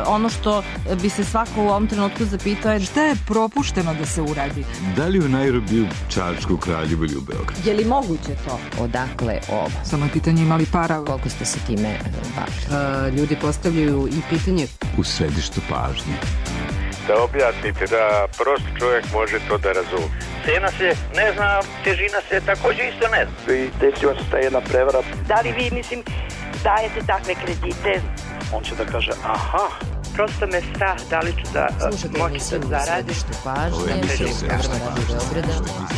ono što bi se svako u ovom trenutku zapitao je šta je propušteno da se uradi? Da li u Nairobiju, Čačku, Kraljevu ili u Beogradu? Je li moguće to? Odakle ovo? Samo je pitanje imali para. Koliko ste se time bavili? Ljudi postavljaju i pitanje U središtu pažnje. Da objasnite, da prosti čovjek može to da razumije. Cena se ne zna, težina se također isto ne zna. I desila se ta jedna prevara. Da li vi, dajete takve kredite? On će da kaže, aha. Prosto me strah, da li ću da moći da zaradim.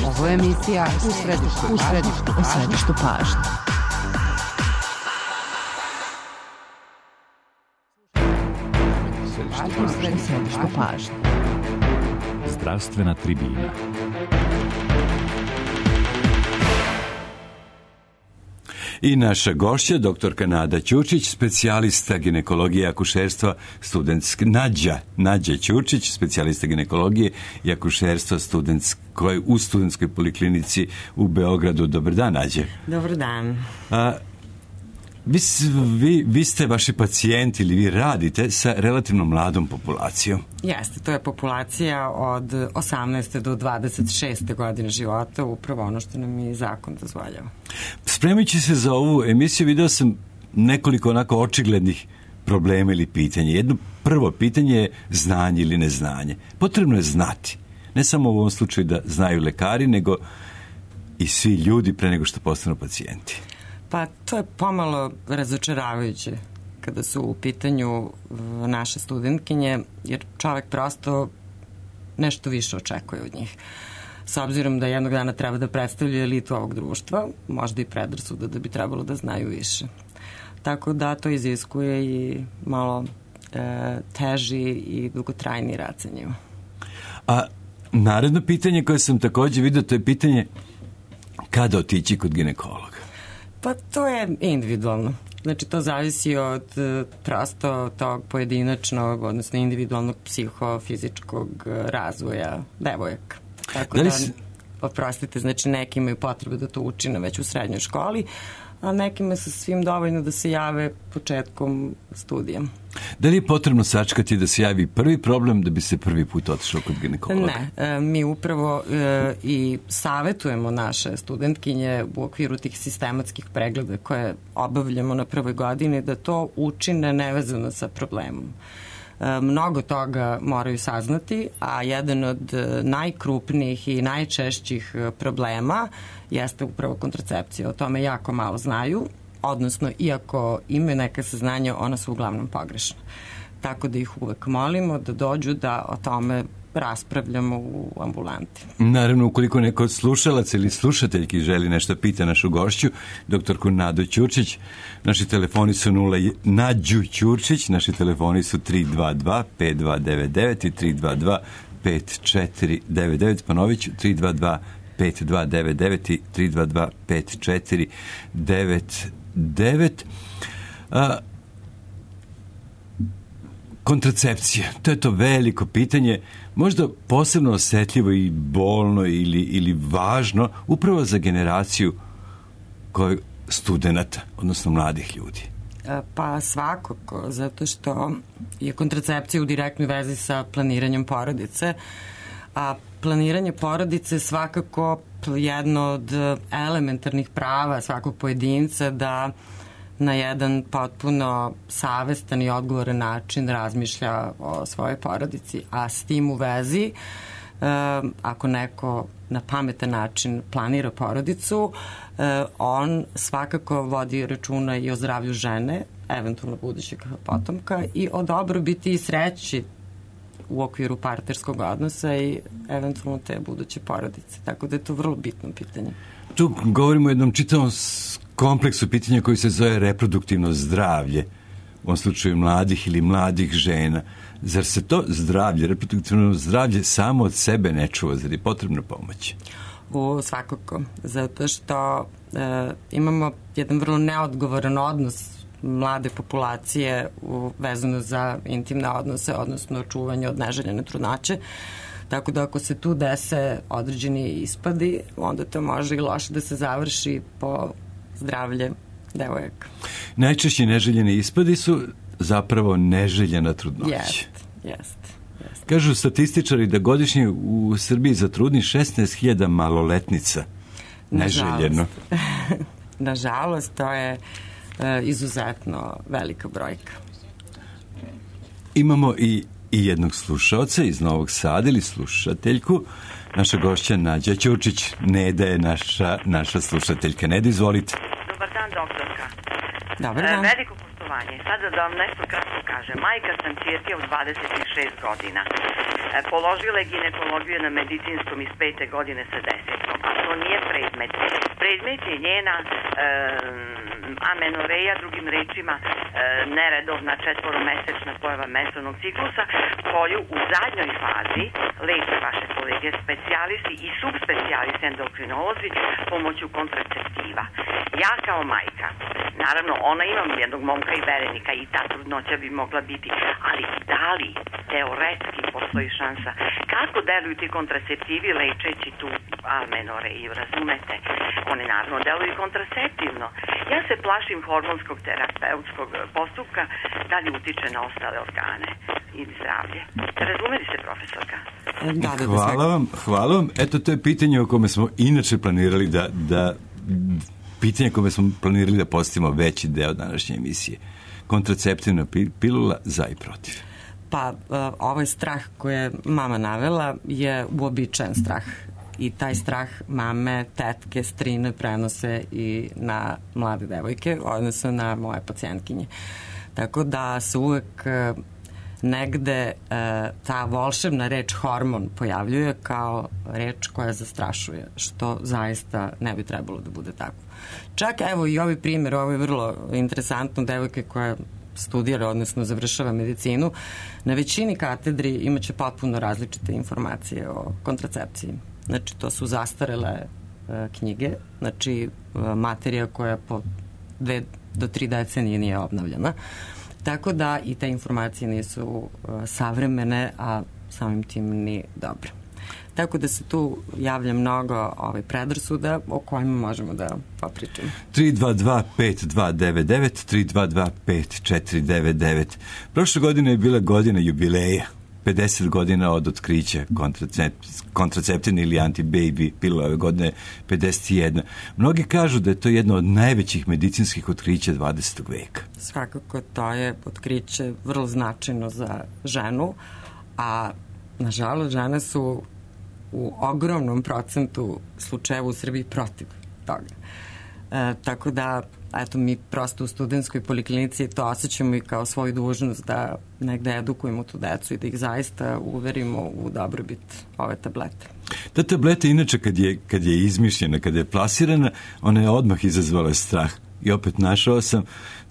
Ovo je emisija U središtu pažnje. Zdravstvena tribina. I naša gošća, doktorka Nada Ćurčić, specijalista ginekologije i akušerstva studentske, Nađa Ćurčić, specijalista ginekologije i akušerstva u studentskoj poliklinici u Beogradu. Dobar dan, Nađe. Dobar dan. Vi ste vaši pacijenti ili vi radite sa relativno mladom populacijom. Jeste, to je populacija od 18. do 26. godine života, upravo ono što nam i zakon dozvoljava. Spremajući se za ovu emisiju, video sam nekoliko onako očiglednih problema ili pitanja. Jedno prvo pitanje je znanje ili neznanje. Potrebno je znati. Ne samo u ovom slučaju da znaju lekari, nego i svi ljudi pre nego što postanu pacijenti. Pa to je pomalo razočaravajuće kada su u pitanju naše studentkinje, jer čovjek prosto nešto više očekuje od njih. S obzirom da jednog dana treba da predstavljaju elitu ovog društva, možda i predrasuda da bi trebalo da znaju više. Tako da to iziskuje i malo teži i dugotrajni rad sa njima. A naredno pitanje koje sam također vidio, to je pitanje kada otići kod ginekologa? Pa to je individualno. Znači to zavisi od prosto tog pojedinačnog, odnosno individualnog psihofizičkog razvoja devojaka. Tako da, oprostite, znači neki imaju potrebu da to učine već u srednjoj školi, a nekima se svim dovoljno da se jave početkom studija. Da li je potrebno sačekati da se javi prvi problem da bi se prvi put otišao kod ginekologa? Ne, mi upravo i savjetujemo naše studentkinje u okviru tih sistematskih pregleda koje obavljamo na prvoj godini da to učine nevezano sa problemom. Mnogo toga moraju saznati, a jedan od najkrupnijih i najčešćih problema jeste upravo kontracepcija. O tome jako malo znaju, odnosno iako imaju neka saznanja, ona su uglavnom pogrešna. Tako da ih uvek molimo da dođu da o tome raspravljamo u ambulanti. Naravno, ukoliko neko od slušalaca ili slušateljki želi nešto pita našu gošću, doktorku Nadu Ćurčić, naši telefoni su Nađu Ćurčić, naši telefoni su 322 5299 i 322 5499, ponovit ću 322 5299 i 322 5499. Kontracepcija, to je to veliko pitanje, možda posebno osjetljivo i bolno ili važno upravo za generaciju studenata, odnosno mladih ljudi. Pa svakako, zato što je kontracepcija u direktnoj vezi sa planiranjem porodice, a planiranje porodice je svakako jedno od elementarnih prava svakog pojedinca da na jedan potpuno savestan i odgovoran način razmišlja o svojoj porodici. A s tim u vezi, ako neko na pametan način planira porodicu, on svakako vodi računa i o zdravlju žene, eventualno budućeg potomka, i o dobrobiti i sreći u okviru partnerskog odnosa i eventualno te buduće porodice. Tako da je to vrlo bitno pitanje. Tu govorimo o jednom čitavom kompleksu pitanja koji se zove reproduktivno zdravlje, u ovom slučaju mladih ili mladih žena. Zar se to zdravlje, reproduktivno zdravlje samo od sebe ne čuva? Zar je potrebna pomoć? Svakako, zato što imamo jedan vrlo neodgovoran odnos mlade populacije vezano za intimne odnose, odnosno čuvanje od neželjene trudnoće. Tako da ako se tu dese određeni ispadi, onda to može i loše da se završi po zdravlje devojaka. Najčešći neželjeni ispadi su zapravo neželjena trudnoća. Jeste. Kažu statističari da godišnje u Srbiji zatrudni 16.000 maloletnica. Neželjeno. Nažalost, to je izuzetno velika brojka. Imamo i jednog slušaoca iz Novog Sada ili slušateljku. Naša gošća Nađa Ćurčić. Neda je naša slušateljka. Neda, izvolite. Dobar dan, doktorka. Dobar dan. Veliko poštovanje. Sada da vam nešto kratko kažem. Majka sam ćerke od 26 godina. Položila je ginekologiju na medicinskom iz 5. godine sa 10. A to nije predmet. Predmet je njena amenoreja, drugim rečima neredovna 4-mesečna pojava menstrualnog ciklusa, koju u zadnjoj fazi leče vaše kolege specijalisti i subspecijalisti endokrinolozi pomoću kontraceptiva. Ja kao majka, naravno ona ima jednog momka i verenika i ta trudnoća bi mogla biti, ali da li teoretski postoji šansa kako deluju ti kontraceptivi lečeći tu amenoreju, razumete? Oni naravno deluju kontraceptivno. Ja se plašim hormonskog terapeutskog postupka da li utiče na ostale organe i zdravlje. Razumeli se, profesorka? Hvala vam. Eto, to je pitanje o kome smo inače planirali da postavimo veći deo današnje emisije. Kontraceptivna pilula za i protiv. Pa, ovaj strah koji je mama navela je uobičajen strah. I taj strah mame, tetke, strine prenose i na mlade devojke, odnosno na moje pacijentkinje. Tako da se uvek negde ta volšebna reč hormon pojavljuje kao reč koja zastrašuje, što zaista ne bi trebalo da bude tako. Čak evo i ovaj primjer, ovo je vrlo interesantno, devojke koja studira, odnosno završava medicinu, na većini katedri imaće potpuno različite informacije o kontracepciji. Znači, to su zastarele knjige, znači materija koja po 2 do 3 decenije nije obnavljena. Tako da i te informacije nisu savremene, a samim tim ni dobre. Tako da se tu javlja mnogo predrasuda o kojima možemo da popričamo. 322-5299, 322-5499. Prošle godine je bila godina jubileja. 50 godina od otkrića kontraceptivne ili anti-baby pilula, ove godine 51. Mnogi kažu da je to jedno od najvećih medicinskih otkrića 20. veka. Svakako, to je otkriće vrlo značajno za ženu, a nažalost žene su u ogromnom procentu slučajeva u Srbiji protiv toga. Tako da, eto, mi prosto u studentskoj poliklinici to osjećamo i kao svoju dužnost da negde edukujemo tu decu i da ih zaista uverimo u dobrobit ove tablete. Ta tableta, inače, kad je izmišljena, kad je plasirana, ona je odmah izazvala strah. I opet našao sam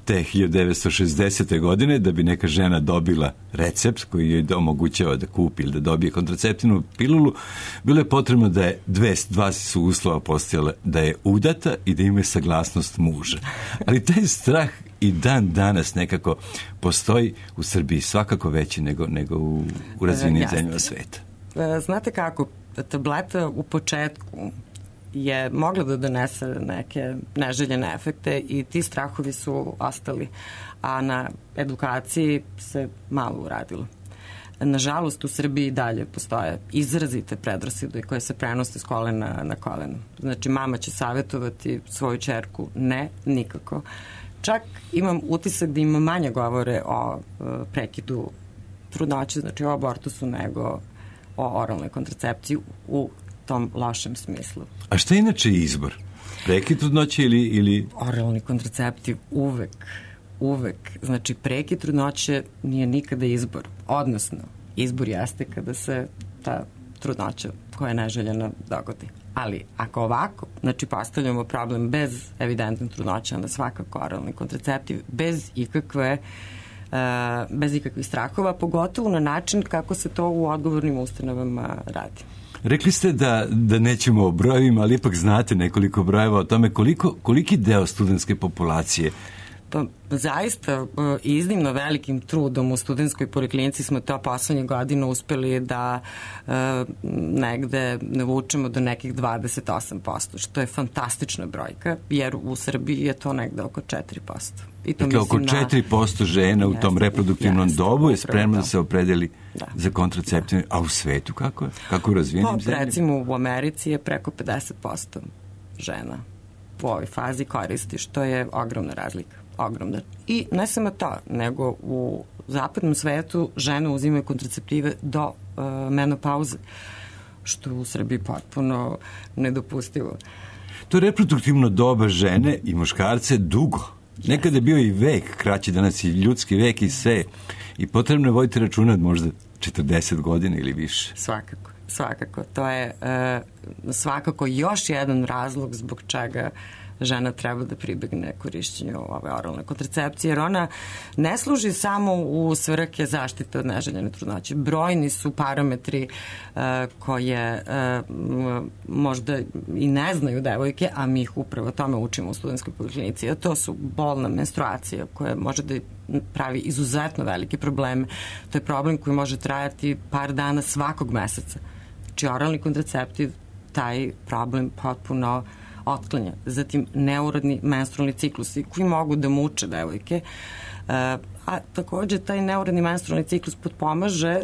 te 1960. godine da bi neka žena dobila recept koji joj omogućava da kupi ili da dobije kontraceptivnu pilulu, bilo je potrebno da je dva su uslova postojala, da je udata i da ima saglasnost muža. Ali taj strah i dan danas nekako postoji u Srbiji svakako veći nego u razvijenim zemljama sveta. Znate kako, tableta u početku je mogla da donese neke neželjene efekte i ti strahovi su ostali, a na edukaciji se malo uradilo. Nažalost, u Srbiji dalje postoje izrazite predrasude koje se prenose s kolena na koleno. Znači, mama će savjetovati svoju ćerku, ne, nikako. Čak imam utisak da ima manje govore o prekidu trudnoće, znači o abortusu, nego o oralnoj kontracepciji u tom lošem smislu. A šta je inače izbor? Prekid trudnoće ili... Oralni kontraceptiv uvek. Znači, prekid trudnoće nije nikada izbor. Odnosno, izbor jeste kada se ta trudnoća koja je neželjena dogodi. Ali ako ovako, znači postavljamo problem bez evidentne trudnoće, onda svakako oralni kontraceptiv bez ikakvih strahova, pogotovo na način kako se to u odgovornim ustanovama radi. Rekli ste da nećemo o brojevima, ali ipak znate nekoliko brojeva o tome koliki deo studentske populacije Pa zaista iznimno velikim trudom u studentskoj poliklinici smo to poslednje godine uspeli da negde navučemo do nekih 28%, što je fantastična brojka, jer u Srbiji je to negde oko 4%. I to dakle, oko 4% žena u tom reproduktivnom dobu je spremno da se opredeli za kontraceptivne, a u svetu kako je? Kako u razvijenim zemljama? Recimo u Americi je preko 50% žena u ovoj fazi koristi, što je ogromna razlika. Ogromna. I ne samo to, nego u zapadnom svetu žene uzimaju kontraceptive do menopauze, što je u Srbiji potpuno nedopustivo. To reproduktivno doba žene i muškarce dugo. Nekada je bio i vek, kraći, danas i ljudski vek i sve. I potrebno je voditi računa možda 40 godina ili više. Svakako. To je svakako još jedan razlog zbog čega žena treba da pribegne korišćenju ove oralne kontracepcije, jer ona ne služi samo u svrhe zaštite od neželjene trudnoće. Brojni su parametri koje možda i ne znaju devojke, a mi ih upravo tome učimo u studentskoj poliklinici. A to su bolna menstruacija koja može da pravi izuzetno velike probleme. To je problem koji može trajati par dana svakog meseca. Znači, oralni kontraceptiv taj problem potpuno otklanja. Zatim, neurodni menstrualni ciklusi koji mogu da muče devojke, a takođe taj neurodni menstrualni ciklus potpomaže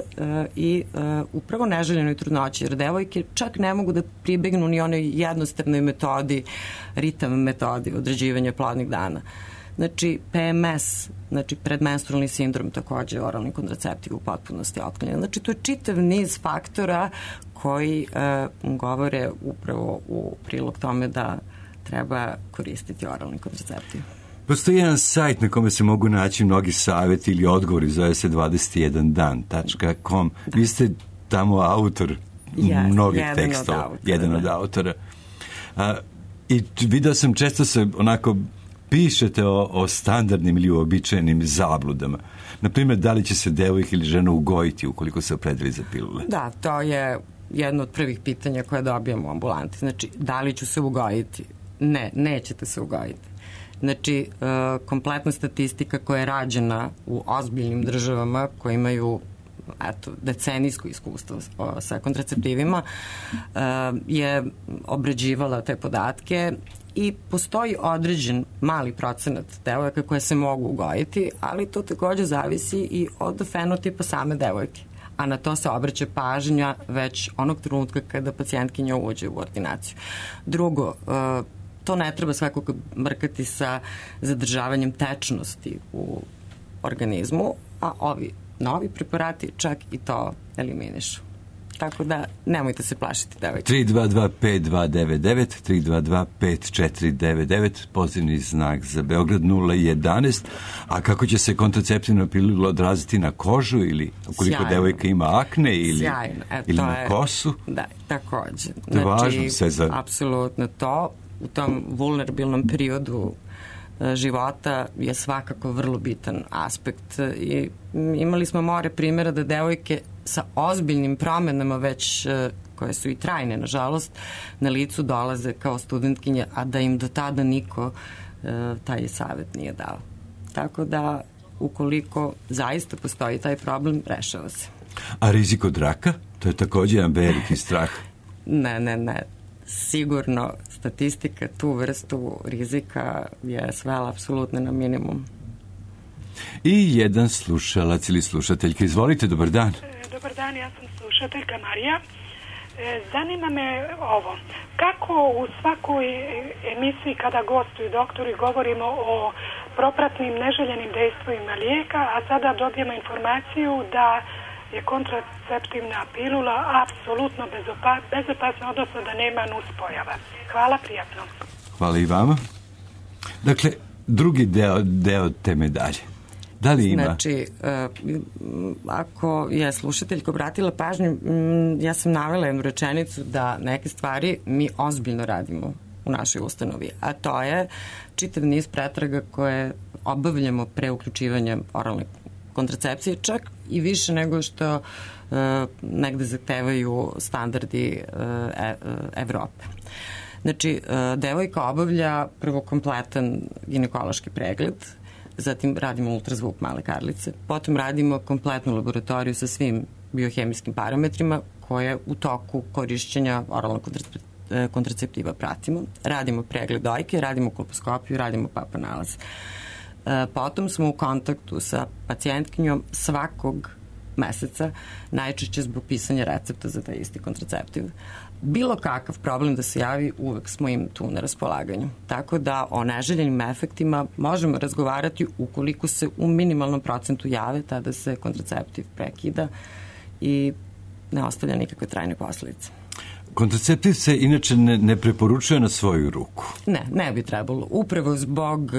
i upravo neželjenoj trudnoći, jer devojke čak ne mogu da pribegnu ni onoj jednostavnoj metodi, ritam metodi određivanja plodnih dana. Znači, PMS, znači predmenstrualni sindrom, takođe oralni kontraceptiv u potpunosti otklanja. Znači, to je čitav niz faktora koji govore upravo u prilog tome da treba koristiti oralni kontraceptiv. Postoji jedan sajt na kome se mogu naći mnogi savjeti ili odgovori, zove se 21dan.com. Vi ste tamo autor mnogih tekstova, jedan od autora. I vidio sam često se onako pišete o standardnim ili uobičajenim zabludama. Naprimjer, da li će se devojka ili žena ugojiti ukoliko se opredeli za pilule? Da, to je jedno od prvih pitanja koje dobijamo u ambulanti. Znači, da li ću se ugojiti? Ne, nećete se ugojiti. Znači, kompletna statistika koja je rađena u ozbiljnim državama koje imaju decenijsko iskustvo sa kontraceptivima je obrađivala te podatke i postoji određen mali procenat devojaka koje se mogu ugojiti, ali to takođe zavisi i od fenotipa same devojke. A na to se obraća pažnja već onog trenutka kada pacijentkinja uđe u ordinaciju. Drugo, to ne treba svakako brkati sa zadržavanjem tečnosti u organizmu, a ovi novi preparati čak i to eliminišu. Tako da nemojte se plašiti, devojke. 322-5299, 322-5499, pozivni znak za Beograd 011. A kako će se kontraceptivna pilula odraziti na kožu ili ukoliko devojka ima akne ili na kosu? Da, takođe. To je važno sve za... Apsolutno to. U tom vulnerabilnom periodu života je svakako vrlo bitan aspekt i imali smo more primjera da devojke sa ozbiljnim promenama već koje su i trajne, nažalost, na licu dolaze kao studentkinje, a da im do tada niko taj savjet nije dao. Tako da, ukoliko zaista postoji taj problem, rešava se. A rizik od raka? To je također jedan veliki strah. Ne. Sigurno statistika tu vrstu rizika je svela apsolutno na minimum. I jedan slušalac ili slušateljka. Izvolite, dobar dan. Dobar dan, ja sam slušateljka Marija. Zanima me ovo. Kako u svakoj emisiji kada gostuju doktori govorimo o propratnim neželjenim dejstvima lijeka, a sada dobijemo informaciju da je kontraceptivna pilula apsolutno bezopasna, odnosno da nema nuspojava. Hvala, prijatno. Hvala i vama. Dakle, drugi deo te medalje. Da li ima? Znači, ako je slušateljka obratila pažnju, ja sam navela jednu rečenicu da neke stvari mi ozbiljno radimo u našoj ustanovi, a to je čitav niz pretraga koje obavljamo pre uključivanja oralne kontracepcije, čak i više nego što negde zahtevaju standardi Evrope. Znači, devojka obavlja prvo kompletan ginekološki pregled, zatim radimo ultrazvuk male karlice, potom radimo kompletnu laboratoriju sa svim biohemijskim parametrima koje u toku korišćenja oralnog kontraceptiva pratimo. Radimo pregled dojke, radimo kolposkopiju, radimo papa nalaz. Potom smo u kontaktu sa pacijentkinjom svakog meseca, najčešće zbog pisanja recepta za taj isti kontraceptiv. Bilo kakav problem da se javi, uvek smo im tu na raspolaganju. Tako da o neželjenim efektima možemo razgovarati ukoliko se u minimalnom procentu jave, tada se kontraceptiv prekida i ne ostavlja nikakve trajne posledice. Kontraceptiv se inače ne preporučuje na svoju ruku. Ne bi trebalo. Upravo zbog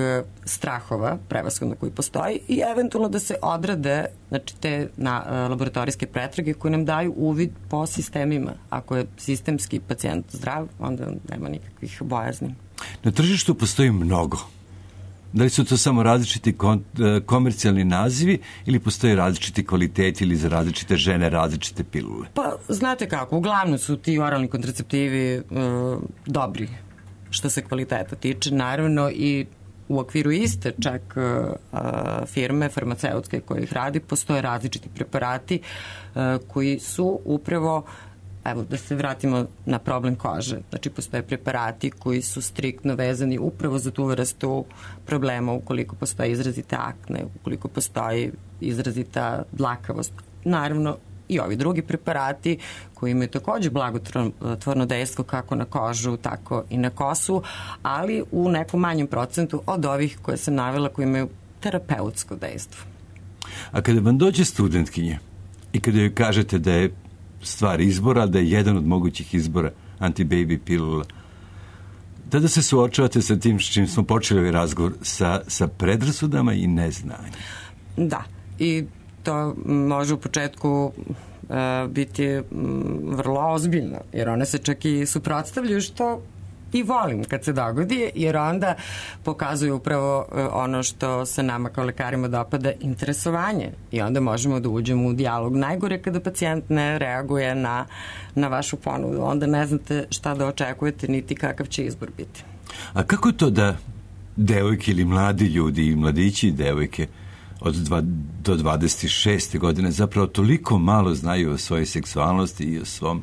strahova, prevashodno koji postoji, i eventualno da se odrade, znači, te laboratorijske pretrage koje nam daju uvid po sistemima. Ako je sistemski pacijent zdrav, onda nema nikakvih bojazni. Na tržištu postoji mnogo. Da li su to samo različiti komercijalni nazivi ili postoje različiti kvaliteti ili za različite žene različite pilule? Pa, znate kako, uglavnom su ti oralni kontraceptivi dobri što se kvaliteta tiče, naravno, i u okviru iste čak firme farmaceutske koje ih radi, postoje različiti preparati koji su upravo, evo, da se vratimo na problem kože. Znači, postoje preparati koji su striktno vezani upravo za tu vrstu problema, ukoliko postoje izrazite akne, ukoliko postoji izrazita dlakavost. Naravno, i ovi drugi preparati koji imaju takođe blagotvorno dejstvo kako na kožu, tako i na kosu, ali u nekom manjem procentu od ovih koje sam navela koji imaju terapeutsko dejstvo. A kada vam dođe studentkinje i kada joj kažete da je stvar izbora, da je jedan od mogućih izbora anti-baby pilula, tada se suočavate sa tim s čim smo počeli ovaj razgovor, sa predrasudama i neznanjem. Da, i to može u početku biti vrlo ozbiljno, jer one se čak i suprotstavljaju, što i volim kad se dogodi, jer onda pokazuju upravo ono što se nama kao lekarima dopada, interesovanje, i onda možemo da uđemo u dijalog. Najgore kada pacijent ne reaguje na vašu ponudu, onda ne znate šta da očekujete, niti kakav će izbor biti. A kako je to da devojke ili mladi ljudi, i mladići i devojke od do 26. godine zapravo toliko malo znaju o svojoj seksualnosti i o svom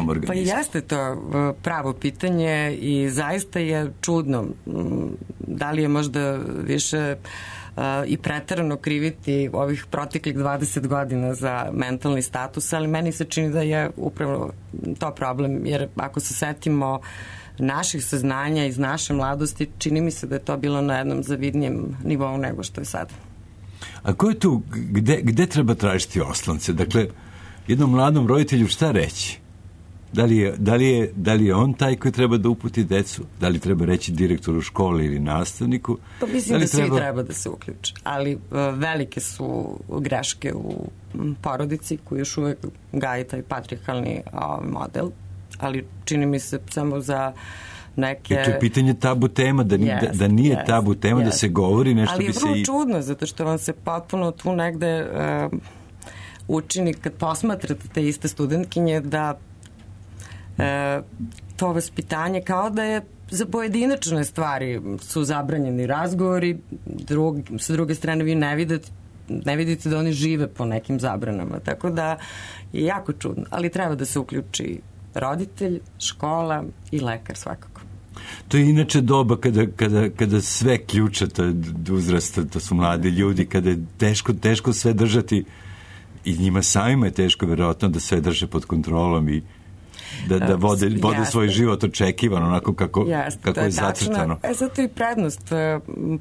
organizmu? Pa jeste to pravo pitanje i zaista je čudno. Da li je možda više i preterano kriviti ovih proteklih 20 godina za mentalni status, ali meni se čini da je upravo to problem, jer ako se setimo naših saznanja iz naše mladosti, čini mi se da je to bilo na jednom zavidnijem nivou nego što je sad. A ko je tu, gde treba tražiti oslonce? Dakle, jednom mladom roditelju šta reći? Da li je on taj koji treba da uputi decu? Da li treba reći direktoru škole ili nastavniku? Pa mislim da svi treba da se uključe. Ali velike su greške u porodici koji još uvek gaji taj patrijarhalni model. Ali čini mi se samo za neke... I to je pitanje tabu tema, da nije tabu tema, da se govori nešto. Ali je vrlo čudno, zato što vam se potpuno tu negde učini, kad posmatrate te iste studentkinje, da to vaspitanje kao da je za pojedinačne stvari su zabranjeni razgovori, sa druge strane vi ne vidite da oni žive po nekim zabranama, tako da je jako čudno, ali treba da se uključi roditelj, škola i lekar svakako. To je inače doba kada sve ključata uzrasta, to su mladi ljudi, kada je teško sve držati, i njima samima je teško verovatno da sve drže pod kontrolom i da vode svoj život očekivano, onako kako je zacrtano. Zato i prednost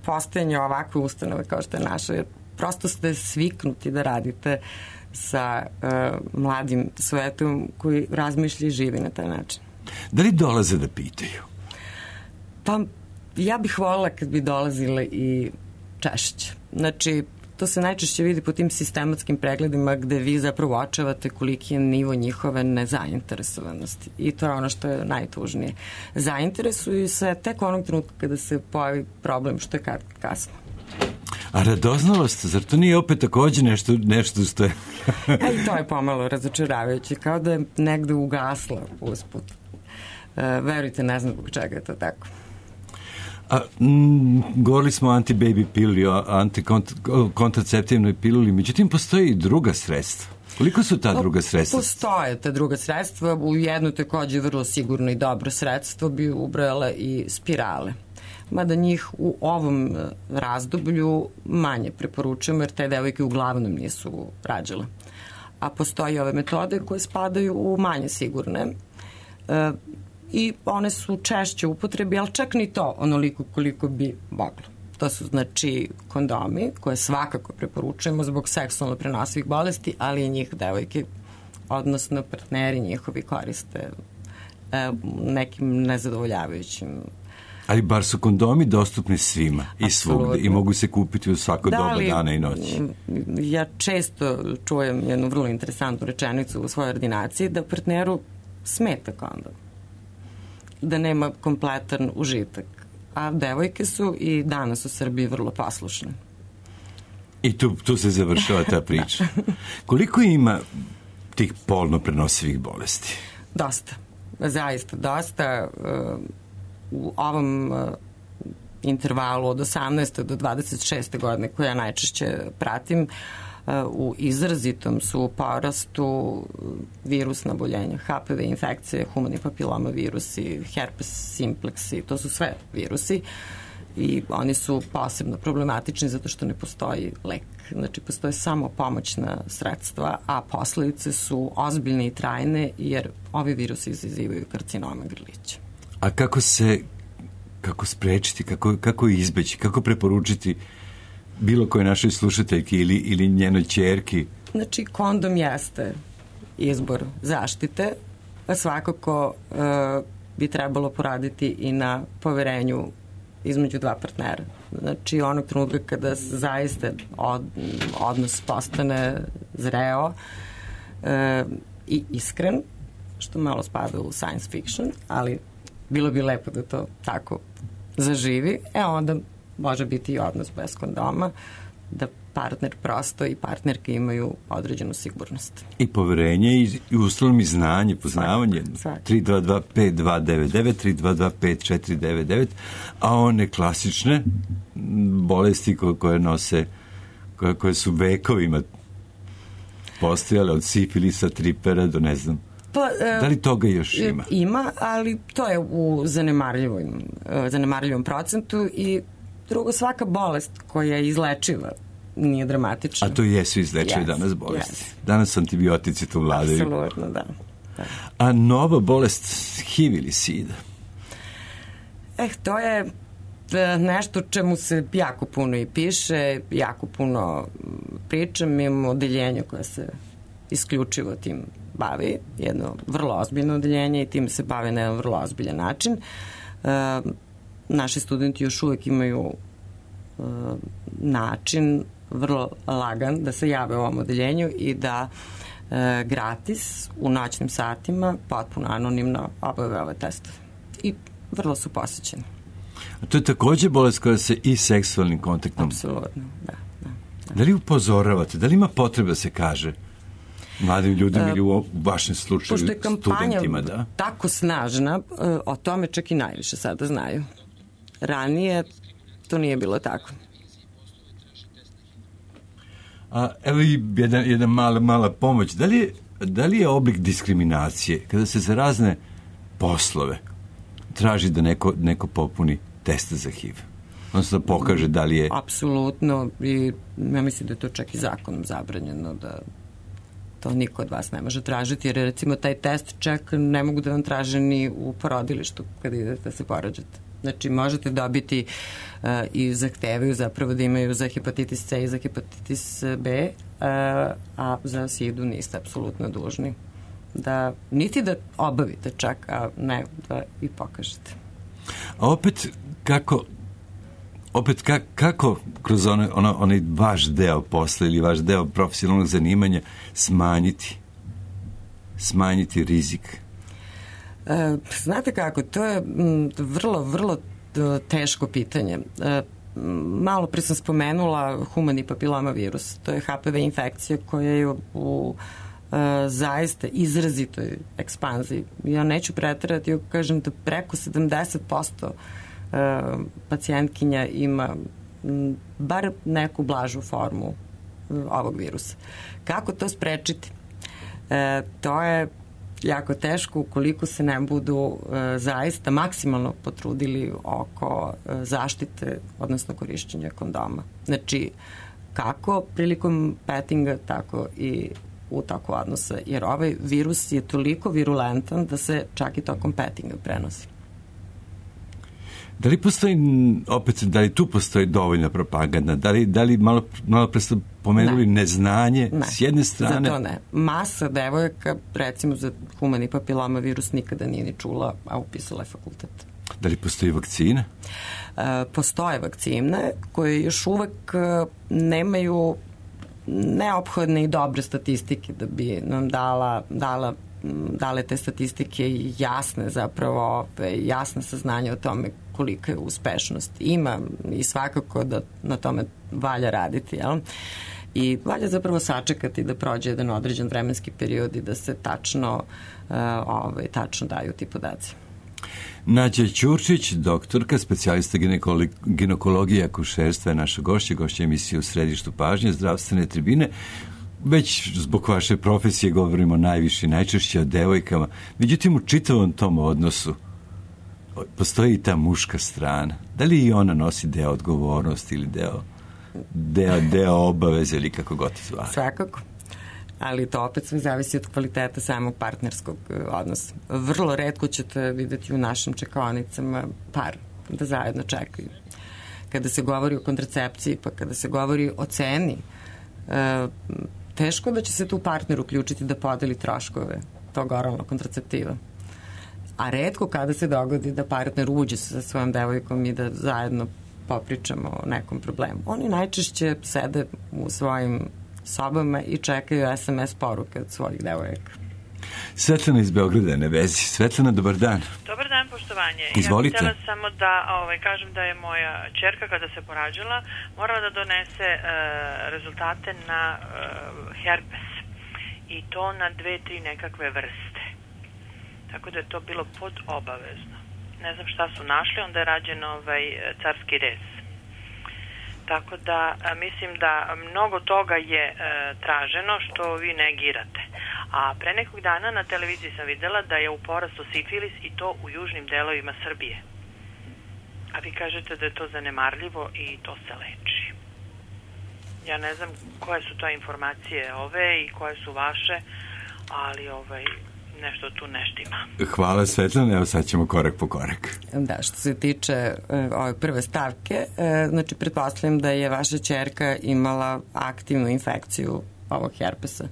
postojanja ovakve ustanove kao što je naša, jer prosto ste sviknuti da radite sa mladim svetom koji razmišlja i živi na taj način. Da li dolaze da pitaju? Pa ja bih voljela kad bi dolazile i češće. Znači, to se najčešće vidi po tim sistematskim pregledima gde vi zapravo očevate koliki je nivo njihove nezainteresovanosti. I to je ono što je najtužnije. Zainteresuju se tek onog trenutka kada se pojavi problem, što je kasno. A radoznalost, zar to nije opet takođe nešto što je... I to je pomalo razočaravajuće, kao da je negde ugasla usput. Verujte, ne znam zbog čega je to tako. Govorili smo o anti-baby piluli, o kontraceptivnoj piluli, međutim postoji i druga sredstva. Koliko su ta druga sredstva? Postoje ta druga sredstva. U jedno takođe vrlo sigurno i dobro sredstvo bi ubrojala i spirale. Mada njih u ovom razdoblju manje preporučujemo, jer te devojke uglavnom nisu rađale. A postoje ove metode koje spadaju u manje sigurne i one su češće u upotrebi, ali čak ni to onoliko koliko bi moglo. To su znači kondomi koje svakako preporučujemo zbog seksualno prenosivih bolesti, ali i njih devojke, odnosno partneri njihovi koriste nekim nezadovoljavajućim. Ali bar su kondomi dostupni svima i svugde i mogu se kupiti u svako doba dana i noći. Ja često čujem jednu vrlo interesantnu rečenicu u svojoj ordinaciji da partneru smeta kondom, da nema kompletan užitak. A devojke su i danas u Srbiji vrlo poslušne. I tu se završava ta priča. Koliko ima tih polno prenosivih bolesti? Dosta. Zaista dosta. U ovom intervalu od 18. do 26. godine koje ja najčešće pratim, u izrazitom su u porastu virusna oboljenja, HPV infekcije, humani papiloma virusi, herpes simplex, to su sve virusi i oni su posebno problematični zato što ne postoji lek. Znači, postoje samo pomoćna sredstva, a posledice su ozbiljne i trajne jer ovi virusi izazivaju karcinome grlića. A kako sprečiti, kako izbeći, kako preporučiti bilo koje našoj slušateljki ili njenoj ćerki? Znači, kondom jeste izbor zaštite, a svakako bi trebalo poraditi i na poverenju između dva partnera. Znači, onog trenutka kada zaista odnos postane zreo i iskren, što malo spada u science fiction, ali bilo bi lepo da to tako zaživi, onda može biti i odnos bez kondoma, da partner prosto i partnerke imaju određenu sigurnost. I poverenje i uslovno i znanje, poznavanje. 322-5299, 322-5499, a one klasične bolesti koje nose, koje su vekovima postojale od sifilisa, tripera do ne znam. Da li toga još ima? Ima, ali to je u zanemarljivom procentu i drugo, svaka bolest koja je izlečiva nije dramatična. A to jesu izlečive danas bolesti. Danas antibiotici tu vladaju. Apsolutno, da. A nova bolest HIV ili SIDA? To je nešto čemu se jako puno i piše, jako puno pričam. Mi imamo odeljenje koje se isključivo tim bavi, jedno vrlo ozbiljno odeljenje i tim se bave na jedan vrlo ozbiljan način. Naši studenti još uvek imaju način vrlo lagan da se jave u ovom odeljenju i da gratis u noćnim satima potpuno anonimno obave ove testove. I vrlo su posjećeni. A to je takođe bolest koja se i seksualnim kontaktom... Apsolutno, da. Da li upozoravate, da li ima potreba da se kaže mladim ljudima ili u vašem slučaju studentima? Pošto je kampanja tako snažna, o tome čak i najviše sada znaju. Ranije to nije bilo tako. Evo i jedna mala pomoć. Da li je oblik diskriminacije kada se za razne poslove traži da neko popuni teste za HIV? Odnosno da pokaže da li je... Apsolutno. I ja mislim da je to čak i zakonom zabranjeno, da to niko od vas ne može tražiti, jer recimo taj test čak ne mogu da vam traže ni u porodilištu kada idete da se porađate. Znači, možete dobiti i zahtevaju zapravo da imaju za hepatitis C i za hepatitis B, a za SIDU niste apsolutno dužni. Niti da obavite čak, a ne da i pokažete. A opet, kako kroz onaj vaš deo posla ili vaš deo profesionalnog zanimanja smanjiti rizik? Znate kako, to je vrlo, vrlo teško pitanje. Malo pre sam spomenula humani papiloma virus. To je HPV infekcija koja je u zaista izrazitoj ekspanziji. Ja neću preterati, kažem da preko 70% pacijentkinja ima bar neku blažu formu ovog virusa. Kako to sprečiti? To je jako teško ukoliko se ne budu zaista maksimalno potrudili oko zaštite, odnosno korišćenja kondoma. Znači, kako prilikom pettinga, tako i u toku odnosa, jer ovaj virus je toliko virulentan da se čak i tokom pettinga prenosi. Da li postoji, opet, da li tu postoji dovoljna propaganda? Da li malo pre ste pomenuli neznanje s jedne strane? Za to ne. Masa devojaka, recimo za humani papiloma virus nikada nije ni čula, a upisala je fakultet. Da li postoji vakcina? Postoje vakcine koje još uvek nemaju neophodne i dobre statistike da bi nam dale te statistike jasne, zapravo jasne saznanje o tome kolika je uspešnost. Ima i svakako da na tome valja raditi, jel? I valja zapravo sačekati da prođe jedan određen vremenski period i da se tačno daju ti podaci. Nađa Ćurčić, doktorka, specijalista ginekologije i akušerstva je naša gošća emisije U središtu pažnje, zdravstvene tribine. Već zbog vaše profesije govorimo najviše i najčešće o devojkama. Međutim, u čitavom tom odnosu postoji i ta muška strana. Da li i ona nosi deo odgovornosti ili deo obaveze ili kako god zvali? Svakako. Ali to opet sve zavisi od kvaliteta samog partnerskog odnosa. Vrlo retko ćete vidjeti u našim čekaonicama par da zajedno čekaju. Kada se govori o kontracepciji, pa kada se govori o ceni, teško da će se tu partner uključiti da podeli troškove tog oralnog kontraceptiva. A retko kada se dogodi da partner uđe sa svojom devojkom i da zajedno popričamo o nekom problemu. Oni najčešće sede u svojim sobama i čekaju SMS poruke od svojih devojaka. Svetlana iz Beograda je na vezi. Svetlana, dobar dan. Dobar dan, poštovanje. Izvolite. Ja bih htjela samo da kažem da je moja ćerka kada se porađala morala da donese rezultate na herpes i to na 2-3 nekakve vrste. Tako da je to bilo pod obavezno. Ne znam šta su našli, onda je rađen carski rez. Tako da mislim da mnogo toga je traženo što vi negirate. A pre nekog dana na televiziji sam videla da je u porastu sifilis i to u južnim delovima Srbije. A vi kažete da je to zanemarljivo i to se leči. Ja ne znam koje su to informacije i koje su vaše, ali nešto tu ne štima. Hvala, Svetlana, evo sad ćemo korak po korak. Da, što se tiče ove prve stavke, znači pretpostavljam da je vaša ćerka imala aktivnu infekciju ovog herpesa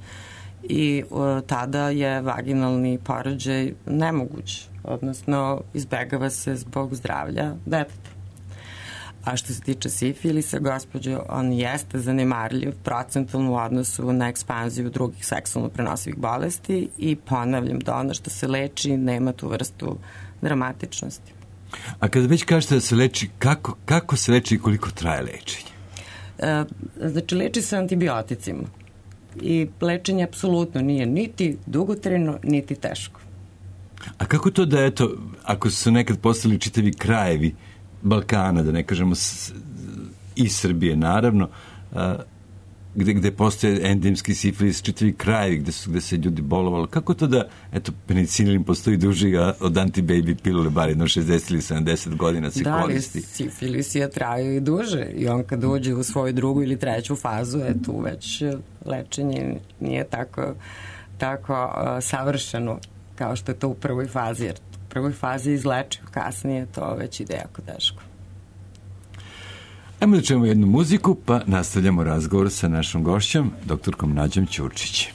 i tada je vaginalni porođaj nemoguć, odnosno izbegava se zbog zdravlja deteta. A što se tiče sifilisa, gospođo, on jeste zanemarljiv procentalno u odnosu na ekspanziju drugih seksualno prenosivih bolesti i ponavljam da ono što se leči nema tu vrstu dramatičnosti. A kada već kažete da se leči, kako se leči i koliko traje lečenje? Znači, leči se antibioticima i lečenje apsolutno nije niti dugotrajno, niti teško. A kako to da, eto, ako su nekad postali čitavi krajevi Balkana, da ne kažemo i Srbije, naravno, gde postoje endemski sifilis, čitavi krajevi gde se ljudi bolovalo. Kako to da, eto, penicilin postoji duži od antibaby pilule, bar jedno 60 ili 70 godina se koristi? Da, sifilis je trajao i duže i on kad uđe u svoju drugu ili treću fazu, tu već lečenje nije tako savršeno kao što je to u prvoj fazi, jer u prvoj fazi izlečiv, kasnije to već ide jako teško. Ajmo da čujemo jednu muziku, pa nastavljamo razgovor sa našom gošćom, doktorkom Nađom Ćurčić.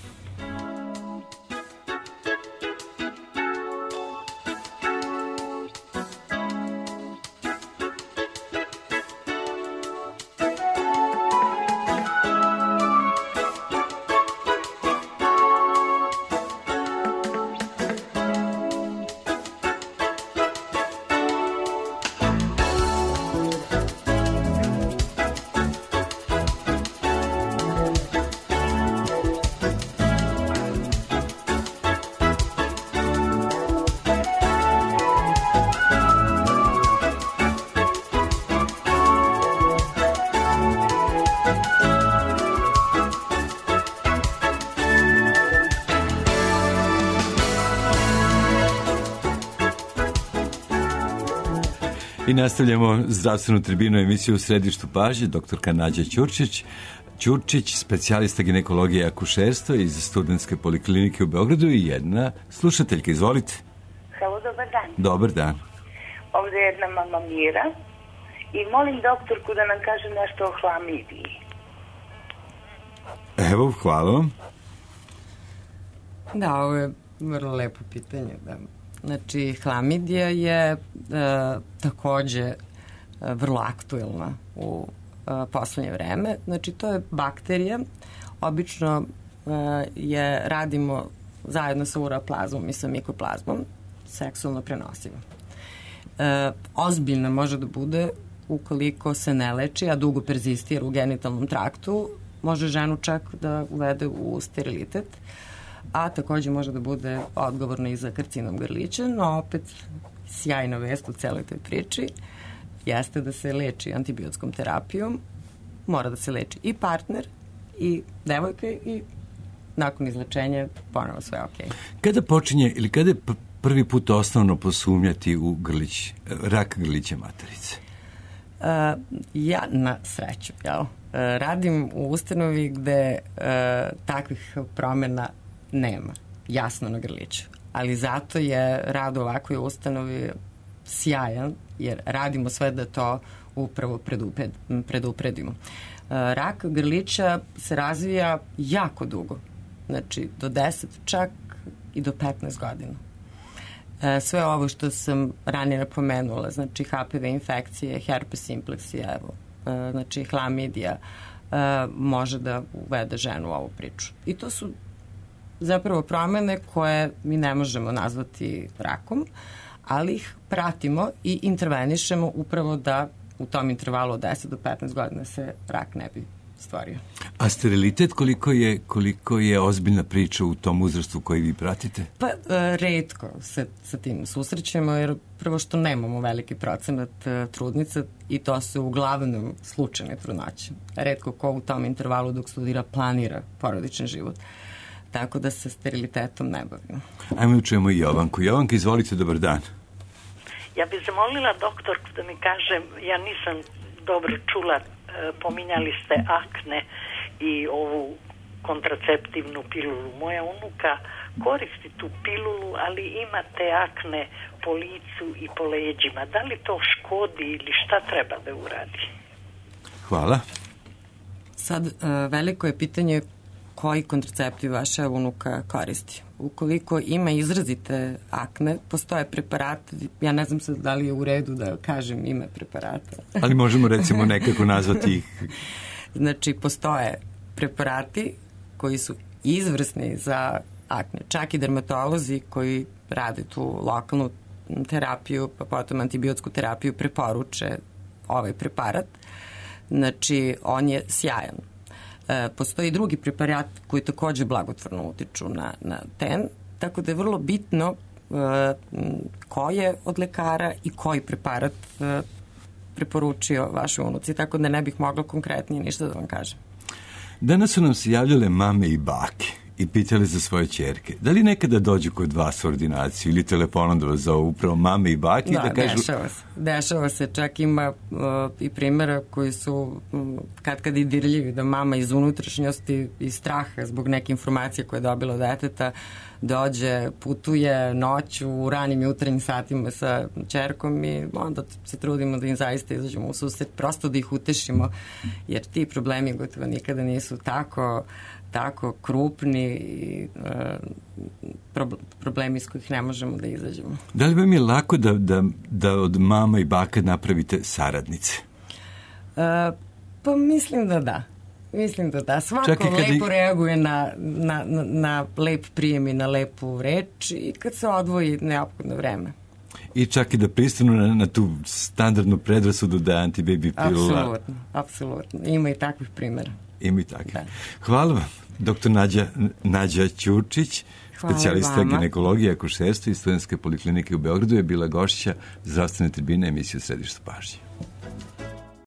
I nastavljamo zdravstvenu tribinu emisiju u središtu pažnje, doktorka Nađa Ćurčić, specijalista ginekologije i akušerstva iz Studentske poliklinike u Beogradu i jedna slušateljka. Izvolite. Halo, dobar dan. Dobar dan. Ovdje je jedna mama Mira i molim doktorku da nam kaže nešto o hlamidiji. Evo, hvala vam. Da, ovo je vrlo lepo pitanje, da. Znači, hlamidija je takođe vrlo aktuelna u poslednje vreme. Znači, to je bakterija. Obično je radimo zajedno sa uroplazmom i sa mikoplazmom, seksualno prenosiva. Ozbiljna može da bude ukoliko se ne leči, a dugo perzistira u genitalnom traktu, može ženu čak da uvede u sterilitet, a takođe može da bude odgovorna i za karcinom grlića, no opet sjajna vest u celoj toj priči jeste da se leči antibiotskom terapijom, mora da se leči i partner i devojka i nakon izlečenja ponovo sve okej. Kada počinje ili kada je prvi put osnovno posumnjati u rak grlića materice? Ja na sreću, radim u ustanovi gde takvih promjena nema, jasno na grliću. Ali zato je rad u ovakvoj ustanovi sjajan, jer radimo sve da to upravo predupredimo. Rak grlića se razvija jako dugo, znači do 10, čak i do 15 godina. Sve ovo što sam ranije napomenula, znači HPV infekcije, herpes simpleksija, znači hlamidija, može da uvede ženu u ovu priču. I to su zapravo promjene koje mi ne možemo nazvati rakom, ali ih pratimo i intervenišemo upravo da u tom intervalu od 10 do 15 godina se rak ne bi stvorio. A sterilitet koliko je ozbiljna priča u tom uzrastu koji vi pratite? Pa retko se sa tim susrećemo, jer prvo što nemamo veliki procenat trudnica i to su uglavnom slučajne trudnoće. Retko ko u tom intervalu dok studira planira porodični život. Tako da se sterilitetom ne bavimo. Ajmo da čujemo i Jovanku. Jovanka, izvolite, dobar dan. Ja bih zamolila doktorku da mi kažem, ja nisam dobro čula, pominjali ste akne i ovu kontraceptivnu pilulu. Moja unuka koristi tu pilulu, ali ima te akne po licu i po leđima. Da li to škodi ili šta treba da uradi? Hvala. Sad, veliko je pitanje koji kontraceptiv vaša unuka koristi. Ukoliko ima izrazite akne, postoje preparati, ja ne znam sad da li je u redu da kažem ime preparata. Ali možemo recimo nekako nazvati ih. Znači, postoje preparati koji su izvrsni za akne. Čak i dermatolozi koji rade tu lokalnu terapiju, pa potom antibiotsku terapiju, preporuče ovaj preparat. Znači, on je sjajan. Postoji drugi preparat koji takođe blagotvorno utiču na ten, tako da je vrlo bitno ko je od lekara i koji preparat preporučio vašoj unuci, tako da ne bih mogla konkretnije ništa da vam kažem. Danas su nam se javljale mame i bake i pitali za svoje ćerke. Da li nekada dođu kod vas u ordinaciju ili telefonom da vas zovu upravo mame i bake? Da, kažu... dešava se. Čak ima i primjera koji su kad i dirljivi, da mama iz unutrašnjosti i straha zbog neke informacije koje je dobila od deteta dođe, putuje noću u ranim jutarnjim satima sa ćerkom i onda se trudimo da im zaista izađemo u susret, prosto da ih utešimo, jer ti problemi gotovo nikada nisu tako krupni i problemi s kojih ne možemo da izađemo. Da li vam je lako da od mama i baka napravite saradnice? Pa mislim da da. Svako lepo reaguje na lep prijem i na lepu reč i kad se odvoji neophodno vreme. I čak i da pristanu na tu standardnu predrasudu da je antibaby pilula. Apsolutno. Ima i takvih primjera. Hvala vam. Doktor Nađa Ćurčić, specijalista ginekologije i akušerstva iz Studentske poliklinike u Beogradu, je bila gošća zdravstvene tribine emisije u središtu pažnje.